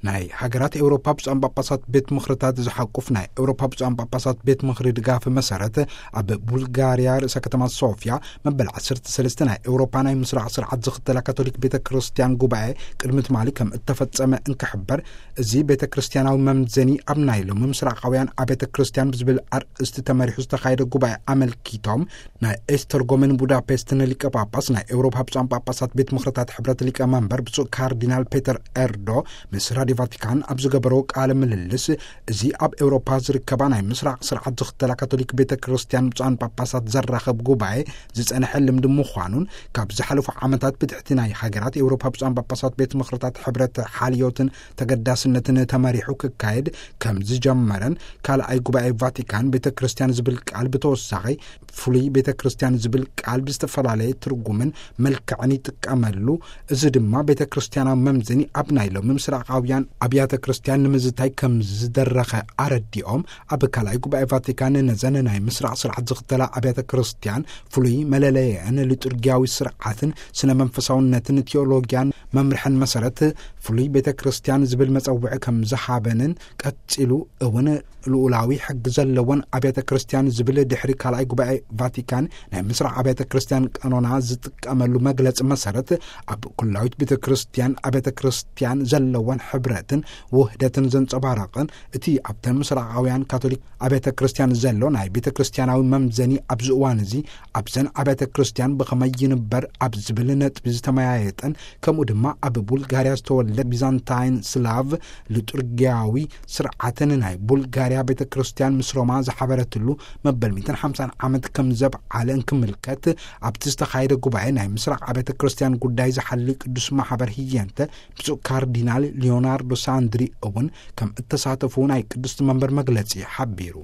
ናይ ሃገራት ኤውሮፓ ብፁዓን ጳጳሳት ቤት ምኽርታት ዝሓቁፍ ናይ ኤውሮፓ ብፁዓን ጳጳሳት ቤት ምኽሪ ድጋፍ መሰረት፣ ኣብ ቡልጋርያ ርእሰ ከተማ ሶፊያ መበል ዓሰርተ ሰለስተ ናይ ኤውሮፓ ናይ ምስራቕ ስርዓት ዝኽተላ ካቶሊክ ቤተ ክርስቲያን ጉባኤ ቅድሚ ትማሊ ከም እተፈጸመ እንክሕበር፣ እዚ ቤተ ክርስቲያናዊ መምዘኒ ኣብ ናይ ሎሚ ምስራቓውያን ኣብያተ ክርስቲያን ብዝብል ኣርእስቲ ተመሪሑ ዝተኻየደ ጉባኤ ኣመልኪቶም፣ ናይ ኤስተርጎምን ቡዳፔስትን ሊቀ ጳጳስ ናይ ኤውሮፓ ብፁዓን ጳጳሳት ቤት ምኽርታት ሕብረት ሊቀ መንበር ብፁዕ ካርዲናል ፔተር ኤርዶ ምስ ራዲዮ ቫቲካን ኣብ ዝገበሮ ቃለ ምልልስ፣ እዚ ኣብ ኤውሮፓ ዝርከባ ናይ ምስራቕ ስርዓት ዝኽተላ ካቶሊክ ቤተ ክርስቲያን ብፁዓን ጳጳሳት ዘራኸብ ጉባኤ ዝጸንሐ ልምዲ ምዃኑን፣ ካብ ዝሓለፉ ዓመታት ብትሕቲ ናይ ሃገራት ኤውሮፓ ብፁዓን ጳጳሳት ቤት ምኽርታት ሕብረት ሓልዮትን ተገዳስነትን ተመሪሑ ክካየድ ከም ዝጀመረን፣ ካልኣይ ጉባኤ ቫቲካን ቤተ ክርስቲያን ዝብል ቃል ብተወሳኺ ፍሉይ ቤተ ክርስቲያን ዝብል ቃል ብዝተፈላለየ ትርጉምን መልክዕን ይጥቀመሉ። እዚ ድማ ቤተ ክርስቲያናዊ መምዘኒ ኣብ ናይ ሎሚ ምስራቓውያን ኣብያተ ክርስቲያን ንምዝታይ ከም ዝደረኸ ኣረዲኦም፣ ኣብ ካልኣይ ጉባኤ ቫቲካን ነዘን ናይ ምስራቕ ስርዓት ዝኽተላ ኣብያተ ክርስቲያን ፍሉይ መለለየን ሊጡርጊያዊ ስርዓትን ስነ መንፈሳውነትን ቴዎሎጊያን መምርሕን መሰረት ፍሉይ ቤተ ክርስቲያን ዝብል መጸውዒ ከም ዝሃበንን፣ ቀጺሉ እውን ልኡላዊ ሕጊ ዘለወን ኣብያተ ክርስቲያን ዝብል ድሕሪ ካልኣይ ጉባኤ ቫቲካን ናይ ምስራቕ ኣብያተ ክርስቲያን ቀኖና ዝጥቀመሉ መግለጺ መሰረት፣ ኣብ ኩላዊት ቤተ ክርስቲያን ኣብያተ ክርስቲያን ዘለወን ሕብረትን ውህደትን ዘንጸባረቕን፣ እቲ ኣብተን ምስራቓውያን ካቶሊክ ኣብያተ ክርስቲያን ዘሎ ናይ ቤተ ክርስቲያናዊ መምዘኒ ኣብዚ እዋን እዚ ኣብዘን ኣብያተ ክርስቲያን ብኸመይ ይንበር ኣብ ዝብል ነጥቢ ዝተመያየጠን፣ ከምኡ ድማ ኣብ ቡልጋርያ ዝተወልደ ቢዛንታይን ስላቭ ሊጡርጊያዊ ስርዓትን ናይ ቡልጋርያ ቤተ ክርስቲያን ምስ ሮማ ዝሓበረትሉ መበል ሚእትን ሓምሳን ዓመት ከም ዘብዓለ እንክምልከት፣ ኣብቲ ዝተኻየደ ጉባኤ ናይ ምስራቕ ኣብያተ ክርስቲያን ጉዳይ ዝሓሊ ቅዱስ ማሕበር ህየንተ ብፁዕ ካርዲናል ሊዮናርዶ ሳንድሪ እውን ከም እተሳተፉ ናይ ቅድስቲ መንበር መግለጺ ሓቢሩ።